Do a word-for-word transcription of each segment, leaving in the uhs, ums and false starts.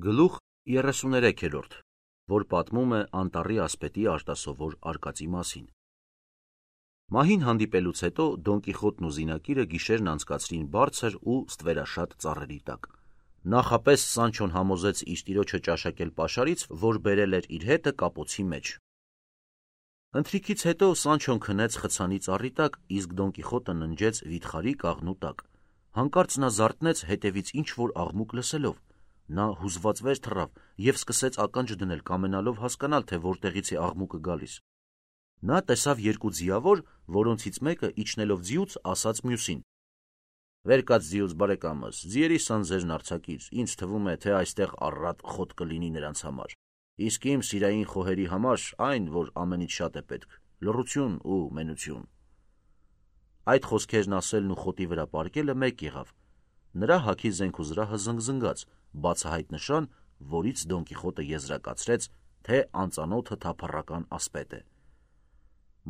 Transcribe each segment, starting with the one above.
Գլուխ երեսուներեքերորդ, որ պատմում է անտառի ասպետի արտասովոր արկածի մասին։ Մահին հանդիպելուց հետո Դոն Կիխոտն ու զինակիրը գիշերն անցկացրին բարձր ու ստվերաշատ ծառերի տակ։ Նախապես Սանչոն համոզեց իր տիրոջը ճաշակել պաշարից, որ բերել էր իր հետը կապոցի մեջ։ Ընթրիքից հետո Սանչոն քնեց խցանի ծառի տակ, իսկ Դոն Կիխոտը ննջեց վիթխարի կաղնու տակ։ Հանկարծ նա զարթնեց հետևից ինչ-որ աղմուկ լսելով։ Նա հուզված վեր թռավ և սկսեց ականջ դնել, կամենալով հասկանալ, թե որտեղից է աղմուկը գալիս։ Նա տեսավ երկու ձիավոր, որոնցից մեկը իջնելով ձիուց ասաց մյուսին. «Վեր կաց ձիուց, բարեկամս, ձիերի սանձերն արձակիր, ինձ թվում է, թե այստեղ առատ խոտ կլինի նրանց համար, իսկ իմ սիրային խոհերի համար այն, որ ամենից շատ է պետք, լռություն ու մենություն»։ Այդ խոսքերն ասելն ու խոտի վրա պառկելը մեկ եղավ։ Նրա հագի զենք-ու-զրահը զնգզնգաց, բացահայտ նշան, որից Դոն Կիխոտը եզրակացրեց, թե անծանոթը թափառական ասպետ է։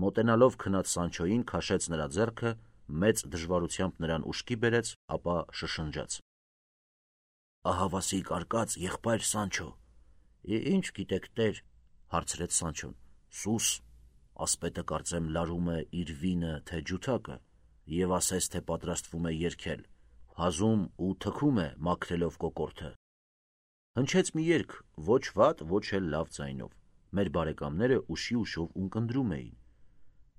Մոտենալով քնած Սանչոյին քաշեց նրա ձեռքը, մեծ դժվարությամբ նրան ուշքի բերեց, ապա շշնջաց. «Ահավասիկ արկած, եղբայր Սանչո»։ «Ինչ գիտեք, տեր», հարցրեց Սանչոն։ «Սուս, ասպետը կարծեմ լարում է իր վինը, թե ջութակը, և ասես, թե պատրաստվում է երգել, հազում ու թքում է մաքրելով կոկորդը»։ Հնչեց մի երգ, ոչ վատ, ոչ էլ լավ ձայնով։ Մեր բարեկամները ուշի-ուշով ունկնդրում էին։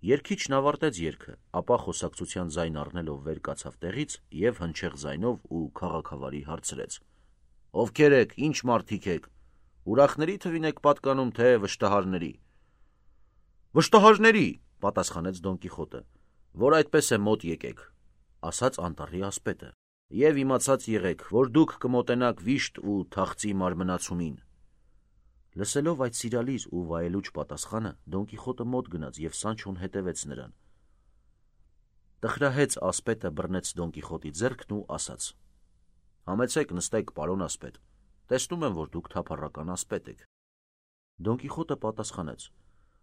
Երգիչն ավարտեց երգը, ապա խոսակցության ձայն առնելով վեր կացավ տեղից և հնչեղ ձայնով ու քաղաքավարի հարցրեց. «Ովքեր եք, ինչ մարդիկ եք, ուրախների թվին եք պատկանում, թե վշտահարների»։ «Վշտահարների», պատասխանեց Դոն Կիխոտը։ «Որ այդպես է, մոտ եկեք», ասաց անտառի ասպետը, «և իմացած եղեք, որ դուք կմոտենաք վիշտ ու թախծի մարմնացումին»։ Լսելով այդ սիրալիր ու վայելուչ պատասխանը, Դոն Կիխոտը մոտ գնաց և Սանչոն հետևեց նրան։ Տխրահեծ ասպետը բռնեց Դոն Կիխոտի ձեռքն ու ասաց. «Համեցեք, նստեք, պարոն ասպետ, տեսնում եմ, որ դուք թափառական ասպետ եք»։ Դոն Կիխոտը պատասխանեց.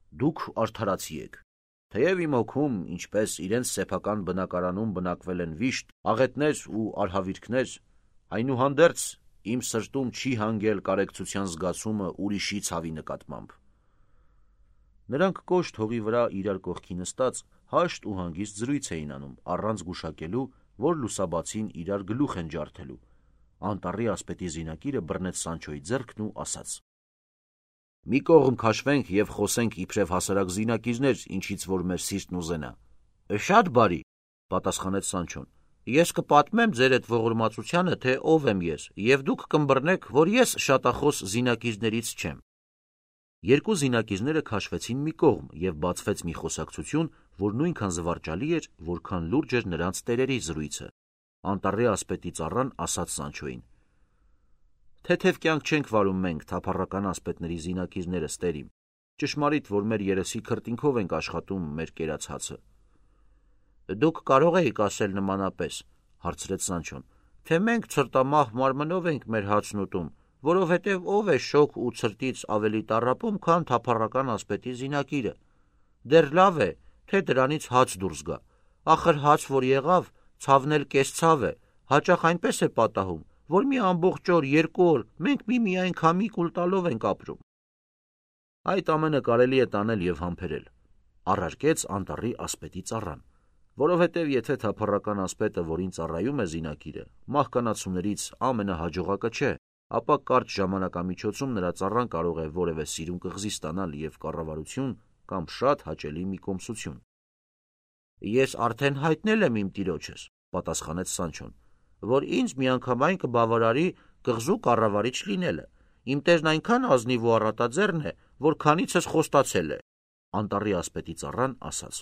«Դուք արդարացի եք։ Թեև իմ հոգում, ինչպես իրենց սեփական բնակարանում բնակվել են վիշտ, աղետներ ու արհավիրքներ, այնուհանդերձ իմ սրտում չի հանգել կարեկցության զգացումը ուրիշի ցավի նկատմամբ»։ Նրանք կոշտ հողի վրա իրար կողքի նստած, հաշտ ու հանգիստ զրույց էին անում, առանց գուշակելու, որ լուսաբացին իրար գլուխ են ջարդելու։ Անտառի ասպետի զինակիրը բռնեց Սանչոյի ձեռքն ու ասաց. «Մի կողմ քաշվենք և խոսենք իբրև հասարակ զինակիրներ, ինչից որ մեր սիրտն ուզենա»։ «Շատ բարի», պատասխանեց Սանչոն, «ես կպատմեմ ձեր էդ ողորմածությանը, թե ով եմ ես, և դուք կըմբռնեք, որ ես շատախոս զինակիրներից չեմ»։ Երկու զինակիրները քաշվեցին մի կողմ, և բացվեց մի խոսակցություն, որ նույնքան զվարճալի էր, որքան լուրջ էր նրանց տերերի զրույցը։ Անտառի ասպետի ծառան ասաց Սանչոյին. «Թեթև կյանք չենք վարում մենք, թափառական ասպետների զինակիրներս, տեր իմ, ճշմարիտ, որ մեր երեսի քրտինքով ենք աշխատում մեր կերած հացը»։ «Դուք կարող էիք ասել նմանապես», հարցրեց Սանչոն, «թե մենք ցրտամահ մարմնով ենք մեր հացն ուտում, որովհետև ով է շոգ ու ցրտից ավելի տառապում, քան թափառական ասպետի զինակիրը։ Դեռ լավ է, թե դրանից հաց դուրս գա, ախր հաց որ եղավ, ցավն էլ կես-ցավ է, հաճախ այնպես է պատահում, որ մի ամբողջ օր, երկու օր մենք միմիայն քամի կուլ տալով ենք ապրում»։ «Այդ ամենը կարելի է տանել և համբերել», առարկեց անտառի ասպետի ծառան, «որովհետև եթե թափառական ասպետը, որին ծառայում է զինակիրը, մահկանացուներից ամենահաջողակը չէ, ապա կարճ ժամանակամիջոցում նրա ծառան կարող է որևէ սիրուն կղզի ստանալ և կառավարություն կամ շատ հաճելի մի կոմսություն»։ «Ես արդեն հայտնել եմ իմ տիրոջս», պատասխանեց Սանչոն, «որ ինձ միանգամայն կբավարարի կղզու կառավարիչ լինելը։ Իմ տերն այնքան ազնիվ ու առատաձեռն է, որ քանիցս խոստացել է»։ Անտառի ասպետի ծառան ասաց.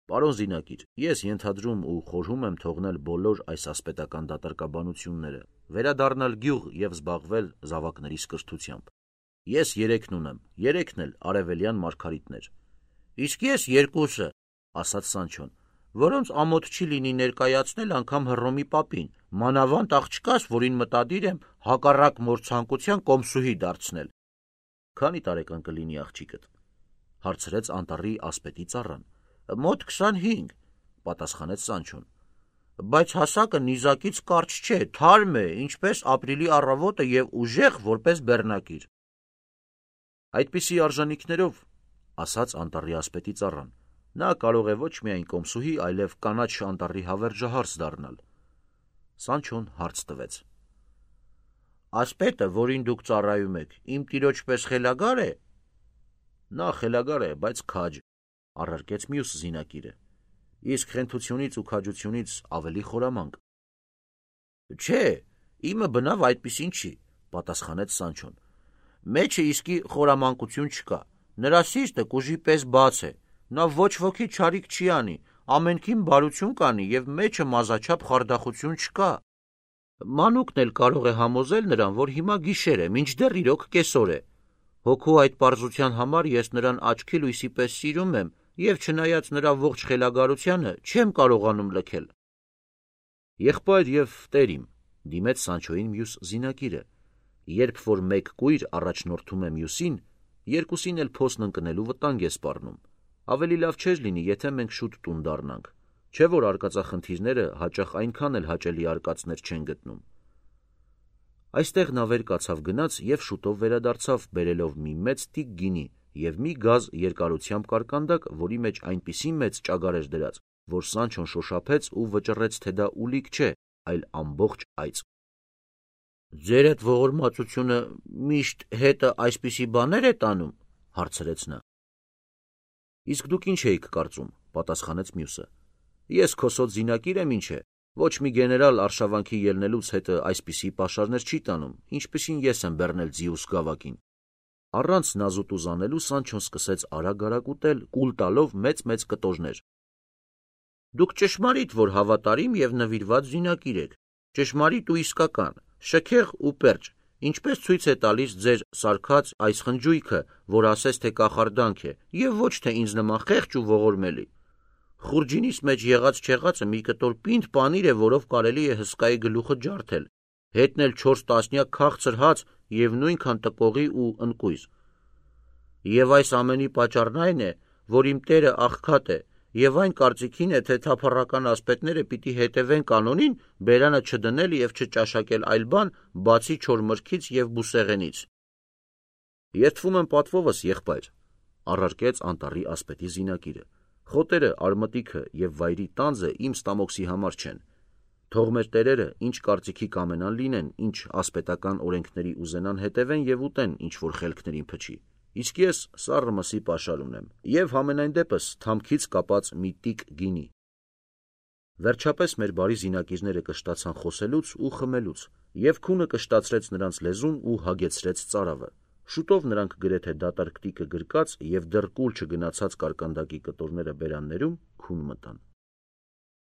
«Պարոն զինակիր, ես ենթադրում ու խորհում եմ թողնել բոլոր այս ասպետական դատարկաբանությունները, վերադառնալ գյուղ և զբաղվել զավակներիս կրթությամբ։ Ես երեքն ունեմ, երեքն էլ արևելյան մարգարիտներ»։ «Իսկ ես երկուսը», ասաց Սանչոն, «որոնց ամոթ չի լինի ներկայացնել անգամ Հռոմի պապին, մանավանդ աղջկաս, որին մտադիր եմ հակառակ մոր ցանկության կոմսուհի դարձնել»։ «Քանի տարեկան կլինի աղջիկդ», հարցրեց անտառի ասպետի ծառան։ «Մոտ քսանհինգ», պատասխանեց Սանչոն։ բայց հասակը նիզակից կարճ չէ, թարմ է, ինչպես ապրիլի առավոտը եւ ուժեղ որպես բեռնակիր։ Այդպիսի արժանինքներով, ասաց անտառի ասպետի ծառան, նա կարող է ոչ միայն կոմսուհի, այլև կանաչ անտառի հավերժահարց դառնալ։ Սանչոն հարց տվեց. Ասպետը, որին դուք ծառայում եք, իմ տիրոջ պես խելագար է։ Նա խելագար է, բայց քաջ, առարկեց մյուս զինակիրը, իսկ խենթությունից ու քաջությունից ավելի խորամանկ։ Չէ, իմը բնավ այդպիսին չի, պատասխանեց Սանչոն։ Մեջը իսկի խորամանկություն չկա, նրա սիրտը կուժի պես բաց է, նա ոչ ոքի չարիք չի անի, ամենքին բարություն կանի եւ մեջը մազաչափ խարդախություն չկա։ Մանուկն էլ կարող է համոզել նրան, որ հիմա գիշեր է, մինչդեռ իրոք կեսօր է։ Հոգու այդ պարզության համար ես նրան աչքի լույսի պես սիրում եմ եւ չնայած նրա ողջ խելագարությանը չեմ կարողանում լքել։ Եղբայր եւ տերիմ, դիմեց Սանչոյին մյուս զինակիրը, երբ որ մեկ կույր առաջնորդում է մյուսին, երկուսին էլ փոսն ընկնելու վտանգ է սպառնում։ Ավելի լավ չէր լինի, եթե մենք շուտ տուն դառնանք, չէ որ արկածախնդիրները հաճախ այնքան էլ հաճելի արկածներ չեն գտնում։ Այստեղ նա վեր կացավ գնաց եւ շուտով վերադարձավ բերելով մի մեծ տիք գինի եւ մի գազ երկարությամբ կարկանդակ, որի մեջ այնպիսի մեծ ճագար էր դրած, որ Սանչոն շոշափեց ու վճռեց, թե դա ուլիկ չէ, այլ ամբողջ այծ։ Ձեր այդ ողորմածությունը միշտ հետը այսպիսի բաներ է տանում, հարցրեց նա։ Իսկ դուք ինչ էիք կարծում, պատասխանեց մյուսը։ Ես քոսոտ զինակիր եմ, ինչ է, ոչ մի գեներալ արշավանքի ելնելուց հետը այսպիսի պաշարներ չի տանում, ինչպիսին ես եմ բեռնել Ձիուս գավակին։ Առանց նազուտ ուզանելու Սանչոն սկսեց արագ-արագ ուտել, կուլ տալով մեծ-մեծ կտորներ։ Դուք ճշմարիտ, որ հավատարիմ եւ նվիրված զինակիր եք, ճշմարիտ ու իսկական, շքեղ ու պերճ, ինչպես ցույց է տալիս ձեր սարքած այս խնջույքը, որ ասես թե կախարդանք է, եւ ոչ թե ինձ նման խեղճ ու ողորմելի։ Խուրջինիս մեջ եղած չեղածը մի կտոր պինդ պանիր է, որով կարելի է հսկայի գլուխը ջարդել, հետնել չորս տասնյակ քաղցր հաց եւ նույնքան տկողի ու ընկույզ։ Եվ այս ամենի պատճառն այն է, որ իմ տերը աղքատ է, եւ այն կարծիքին է, թե թափառական ասպետները պիտի հետևեն կանոնին, բերանը չդնել եւ չճաշակել այլ բան, բացի չոր մրգից եւ բուսեղենից։ Երդվում եմ պատվովս, եղբայր, առարկեց անտառի ասպետի զինակիրը։ Խոտերը, արմատիքը եւ վայրի տանձը իմ ստամոքսի համար չեն։ Թող մեր տերերը ինչ կարծիքի կամենան լինեն, ինչ ասպետական օրենքների ուզենան հետևեն եւ ուտեն, ինչ որ խելքներին փչի։ Իսկ ես սառը մսի պաշար ունեմ եւ համենայն դեպս թամքից կապած մի տիկ գինի։ Վերջապես մեր բարի զինակիրները կշտացան խոսելուց ու խմելուց, եւ քունը կշտացրեց նրանց լեզուն ու հագեցրեց ծարավը։ Շուտով նրանք գրեթե դատարկ տիկը գրկած եւ դեռ կուլ չգնացած կարկանդակի կտորները բերաններում քուն մտան։